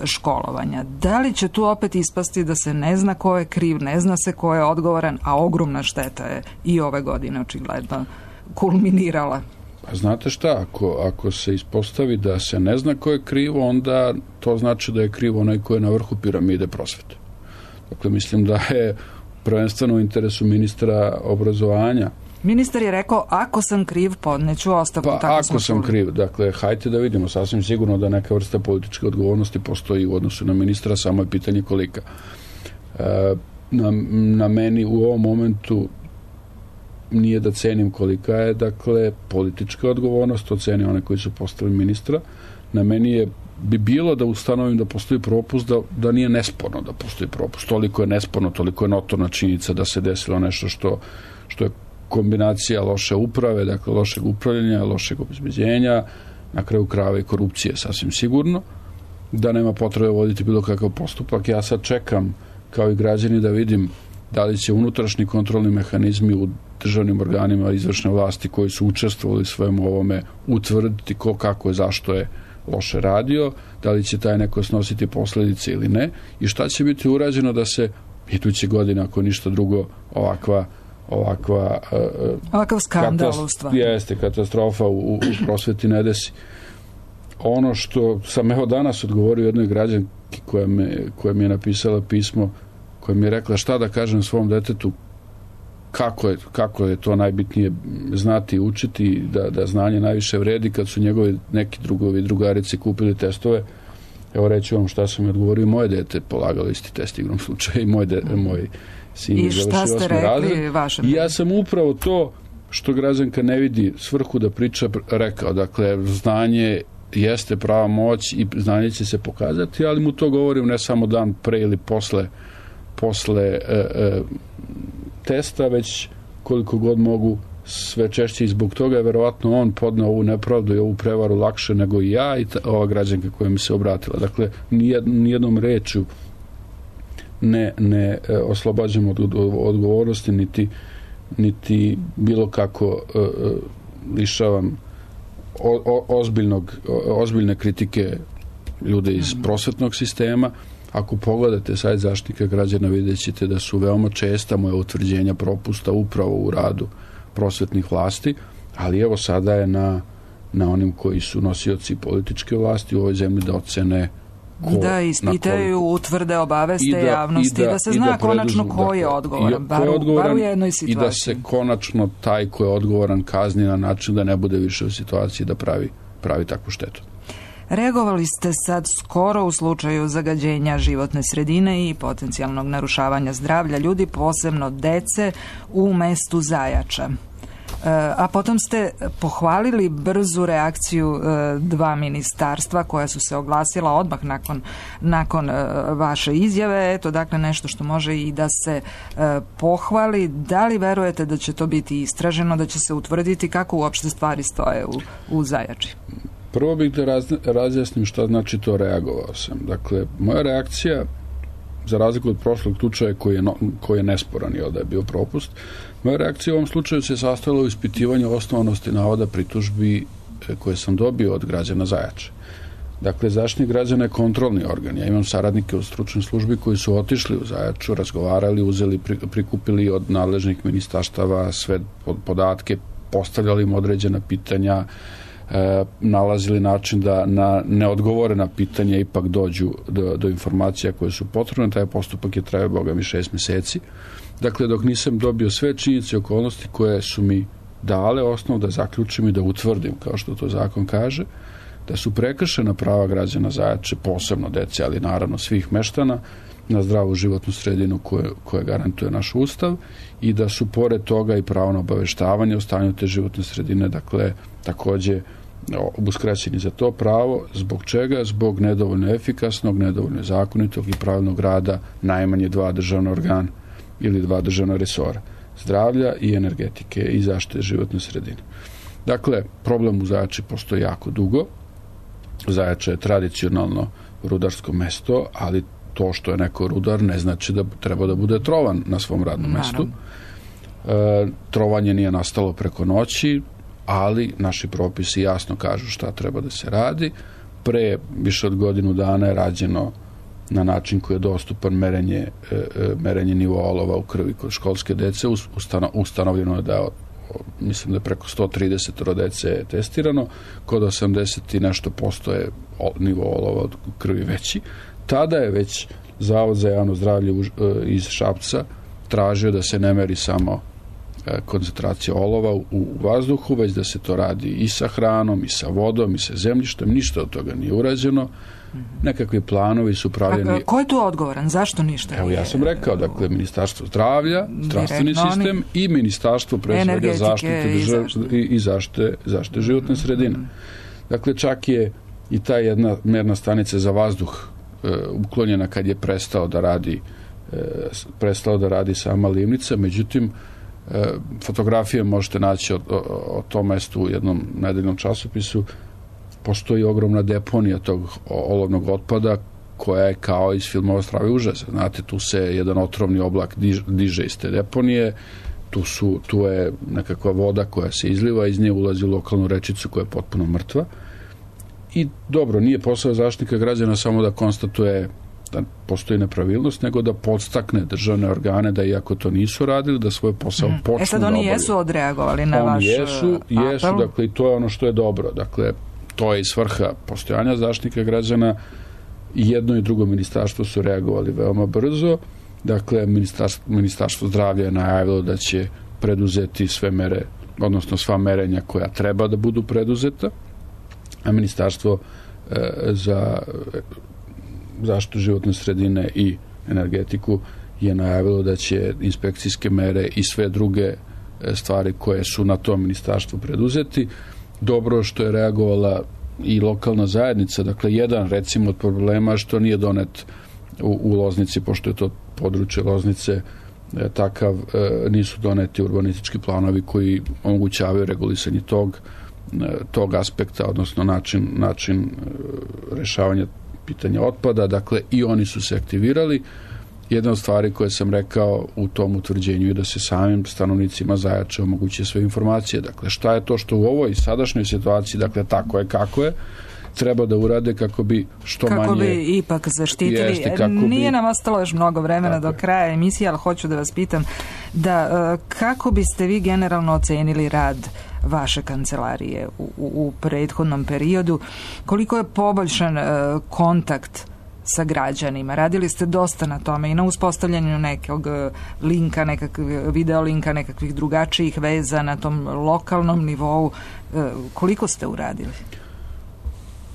školovanja. Da li će tu opet ispasti da se ne zna ko je kriv, ne zna se ko je odgovoran, a ogromna šteta je i ove godine očigledno kulminirala? Pa znate šta, ako se ispostavi da se ne zna ko je krivo, onda to znači da je krivo onaj ko je na vrhu piramide prosvete. Dakle, mislim da je prvenstveno u interesu ministra obrazovanja. Ministar je rekao, ako sam kriv, podneću ostavku. Pa ako sam kriv, dakle, hajte da vidimo, sasvim sigurno da neka vrsta političke odgovornosti postoji u odnosu na ministra, samo je pitanje kolika. Na meni u ovom momentu nije da cenim kolika je, dakle, politička odgovornost, oceni one koji su postavili ministra. Na meni bi bilo da ustanovim da postoji propust, da nije nesporno da postoji propust. Toliko je nesporno, toliko je notorna činjenica da se desilo nešto što je kombinacija loše uprave, dakle lošeg upravljanja, lošeg obezbeđenja, na kraju krajeva i korupcije, sasvim sigurno, da nema potrebe voditi bilo kakav postupak. Ja sad čekam, kao i građani, da vidim da li će unutrašnji kontrolni mehanizmi u državnim organima izvršne vlasti koji su učestvovali svemu ovome utvrditi ko, kako je, zašto je loše radio, da li će taj neko snositi posljedice ili ne i šta će biti urađeno da se iduće godine, ako ništa drugo, ovakav skandal u stvari. Jeste, katastrofa u prosveti ne desi. Ono što sam evo danas odgovorio jednoj građanki koja mi je napisala pismo, koja mi je rekla šta da kažem svom detetu, kako je to najbitnije znati i učiti, da znanje najviše vredi kad su njegovi neki drugovi i drugarice kupili testove. Evo reći vam šta sam mi odgovorio, moje dete polagalo isti test igrom slučaja i moj sin je završio 8. razred. I ja sam upravo to što građanka ne vidi svrhu da priča rekao. Dakle, znanje jeste prava moć i znanje će se pokazati, ali mu to govorim ne samo dan pre ili posle testa, već koliko god mogu sve češće i zbog toga je verovatno on podneo ovu nepravdu i ovu prevaru lakše nego i ja i ova građanka koja mi se obratila. Dakle, nijednom rečju ne oslobađam od odgovornosti niti bilo kako lišavam ozbiljne kritike ljude iz prosvetnog sistema. Ako pogledate sajt Zaštitnika građana, vidjet ćete da su veoma česta moja utvrđenja propusta upravo u radu prosvetnih vlasti, ali evo sada je na onim koji su nosioci političke vlasti u ovoj zemlji da ocene da ispitaju, utvrde, obaveste javnosti, da se zna konačno ko je odgovoran, bar u jednoj situaciji. I da se konačno taj ko je odgovoran kazni na način da ne bude više u situaciji da pravi takvu štetu. Reagovali ste sad skoro u slučaju zagađenja životne sredine i potencijalnog narušavanja zdravlja ljudi, posebno dece, u mestu Zajača. A potom ste pohvalili brzu reakciju dva ministarstva koja su se oglasila odmah nakon vaše izjave. Eto, dakle, nešto što može i da se pohvali. Da li verujete da će to biti istraženo, da će se utvrditi kako uopšte stvari stoje u Zajači? Prvo bih da razjasnim šta znači to reagovao sam. Dakle, moja reakcija, za razliku od prošlog slučaja koji je nesporan i da je bio propust, moja reakcija u ovom slučaju se sastojala u ispitivanju osnovanosti navoda pritužbi koje sam dobio od građana Zajače. Dakle, Zaštitnik građana je kontrolni organ. Ja imam saradnike u stručnoj službi koji su otišli u Zajaču, razgovarali, prikupili od nadležnih ministarstava sve podatke, postavljali im određena pitanja, nalazili način da na neodgovorena pitanja ipak dođu do informacija koje su potrebne. Taj postupak je trajao, boga mi, 6 meseci. Dakle, dok nisam dobio sve činjenice i okolnosti koje su mi dale osnov da zaključim i da utvrdim, kao što to zakon kaže, da su prekršena prava građana Zajače, posebno dece, ali naravno svih meštana, na zdravu životnu sredinu koje garantuje naš Ustav i da su pored toga i pravo na obaveštavanje o stanju te životne sredine, dakle, takođe uskraćeni za to pravo. Zbog čega? Zbog nedovoljno efikasnog, nedovoljno zakonitog i pravilnog rada najmanje 2 državna organa ili 2 državna resora. zdravlja i energetike i zaštite životne sredine. Dakle, problem u Zajači postoji jako dugo. Zajača je tradicionalno rudarsko mesto, ali to što je neko rudar ne znači da treba da bude trovan na svom radnom mestu. Trovanje nije nastalo preko noći, ali naši propisi jasno kažu šta treba da se radi. Pre više od godinu dana je rađeno na način koji je dostupan merenje nivoa olova u krvi kod školske dece. Ustanovljeno je da mislim da je preko 130 dece je testirano, kod 80 i nešto posto je nivo olova u krvi veći. Tada je već Zavod za javno zdravlje iz Šapca tražio da se ne meri samo koncentracija olova u vazduhu, već da se to radi i sa hranom, i sa vodom, i sa zemljištem. Ništa od toga nije urađeno. Nekakvi planovi su pravljeni... Ko je tu odgovoran? Zašto ništa? Evo, ja sam rekao, dakle, Ministarstvo zdravlja, zdravstveni sistem i Ministarstvo pre zaštite i zaštite životne sredine. Dakle, čak je i ta jedna merna stanica za vazduh uklonjena kad je prestao da radi sama livnica, međutim, fotografije možete naći o tom mestu u jednom nedeljnom časopisu. Postoji ogromna deponija tog olovnog otpada koja je kao iz filmova Strave užasa. Znate, tu se jedan otrovni oblak diže iz te deponije, tu je nekakva voda koja se izliva, iz nje ulazi u lokalnu rečicu koja je potpuno mrtva. I dobro, nije posao Zaštitnika građana samo da konstatuje da postoji nepravilnost, nego da podstakne državne organe da, iako to nisu radili, da svoj posao počnu da obavljaju. Sad oni jesu odreagovali na vaš jesu, dakle, i to je ono što je dobro. Dakle, to je i svrha postojanja Zaštitnika građana. Jedno i drugo ministarstvo su reagovali veoma brzo. Dakle, Ministarstvo zdravlja je najavilo da će preduzeti sve mere, odnosno sva merenja koja treba da budu preduzeta, a Ministarstvo za zaštitu životne sredine i energetiku je najavilo da će inspekcijske mere i sve druge stvari koje su na tom ministarstvu preduzeti. Dobro što je reagovala i lokalna zajednica. Dakle, jedan recimo od problema što nije donet u Loznici, pošto je to područje Loznice takav, nisu doneti urbanistički planovi koji omogućavaju regulisanje tog aspekta, odnosno način rešavanja pitanja otpada. Dakle, i oni su se aktivirali. Jedna od stvari koje sam rekao u tom utvrđenju je da se samim stanovnicima Zajače omoguće sve informacije. Dakle, šta je to što u ovoj sadašnjoj situaciji, dakle, tako je kako je, treba da urade kako bi kako bi ipak zaštitili. Nije nam ostalo još mnogo vremena do kraja emisije, ali hoću da vas pitam kako biste vi generalno ocenili rad vaše kancelarije u prethodnom periodu, koliko je poboljšan kontakt sa građanima. Radili ste dosta na tome i na uspostavljanju nekog linka, video linka, nekakvih drugačijih veza na tom lokalnom nivou. Koliko ste uradili?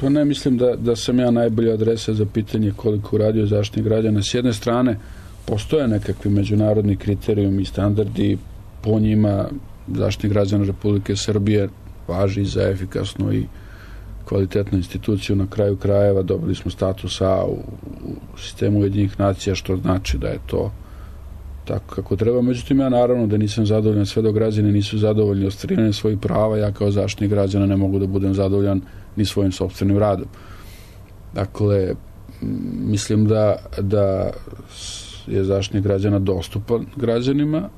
Pa ne mislim da sam ja najbolja adresa za pitanje koliko uradio Zaštitnik građana. S jedne strane, postoje nekakvi međunarodni kriterijumi i standardi, po njima Zaštitnik građana Republike Srbije važi za efikasnu i kvalitetnu instituciju. Na kraju krajeva dobili smo status A u sistemu Ujedinjenih nacija, što znači da je to tako kako treba. Međutim, ja naravno da nisam zadovoljan sve dok građani nisu zadovoljni ostvarivanjem svojih prava. Ja kao Zaštitnik građana ne mogu da budem zadovoljan ni svojim sopstvenim radom. Dakle, mislim da je Zaštitnik građana dostupan građanima,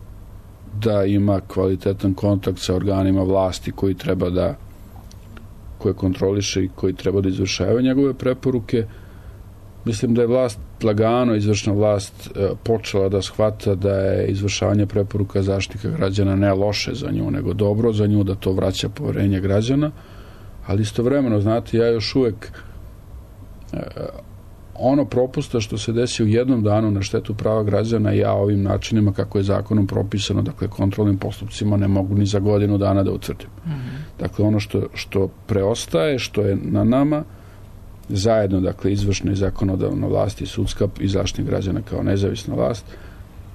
da ima kvalitetan kontakt sa organima vlasti koje kontroliše i koji treba da izvršavaju njegove preporuke. Mislim da je vlast lagano, izvršna vlast počela da shvata da je izvršavanje preporuka Zaštitnika građana ne loše za nju, nego dobro za nju, da to vraća poverenje građana, ali istovremeno, znate, ja još uvek ono propusta što se desi u jednom danu na štetu prava građana, ja ovim načinima kako je zakonom propisano, dakle kontrolnim postupcima, ne mogu ni za godinu dana da utvrdim. Dakle, ono što preostaje, što je na nama zajedno, dakle, izvršna i zakonodavna vlast i sudska i Zaštitnik građana kao nezavisna vlast,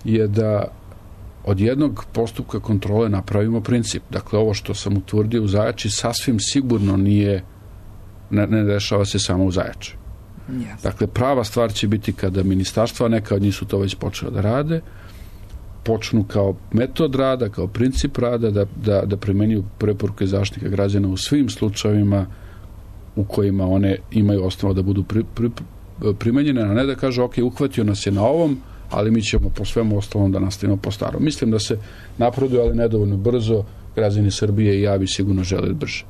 je da od jednog postupka kontrole napravimo princip. Dakle, ovo što sam utvrdio u Zajači sasvim sigurno ne dešava se samo u Zajači. Dakle, prava stvar će biti kada ministarstva, neka od njih su to već počela da rade, počnu kao metod rada, kao princip rada da primenjuju preporuke Zaštitnika građana u svim slučajevima u kojima one imaju osnova da budu primenjene, a ne da kažu ok, uhvatio nas je na ovom, ali mi ćemo po svemu ostalom da nastavimo po starom. Mislim da se napreduje, ali nedovoljno brzo. Građani Srbije i ja bi sigurno želeli brže.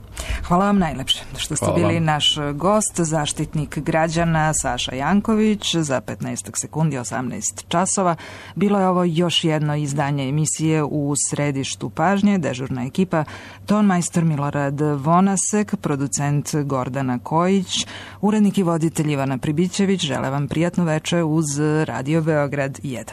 Hvala vam najlepše što ste bili naš gost, Zaštitnik građana Saša Janković. Za 15 sekundi 18 časova bilo je ovo još jedno izdanje emisije U središtu pažnje. Dežurna ekipa tonmajstor Milorad Vonasek, producent Gordana Kojić, urednik i voditelj Ivana Pribićević. Žele vam prijatnu večer uz Radio Beograd 1.